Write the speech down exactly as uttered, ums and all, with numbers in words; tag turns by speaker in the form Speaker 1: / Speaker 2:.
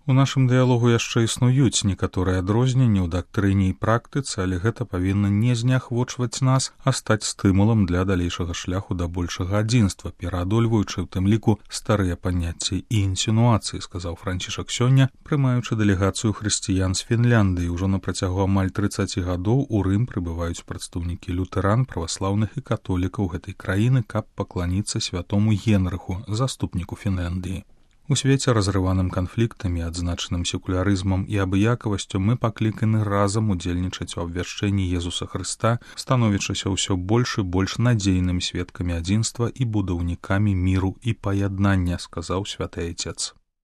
Speaker 1: У нашым дыялогу яшчэ існуюць некаторыя адрозненні ў дактрыне і практыцы, але гэта павінна не зняхвочваць нас, а стаць стымулам для далейшага шляху да большага адзінства, пераадольваючы ў тым ліку старыя паняцці і інсінуацыі, сказаў Францішак сёння, прымаючы дэлегацыю хрысціян з Фінляндыі. Ужо на працягу амаль трыццаці гадоў у Рым прыбываюць прадстаўнікі лютэран, праваслаўных і католікаў гэтай краіны, каб пакланіцца святому Генрыху, заступніку Фінляндыі. У свеце, разрываным канфліктамі, адзначаным секулярызмам і абыякавасцю, мы пакліканы разам удзельнічаць у абвяшчэнні Езуса Хрыста, становячыся ўсё больш і больш надзейнымі сведкамі адзінства і будаўнікамі міру і паяднання, сказаў святы Айцец.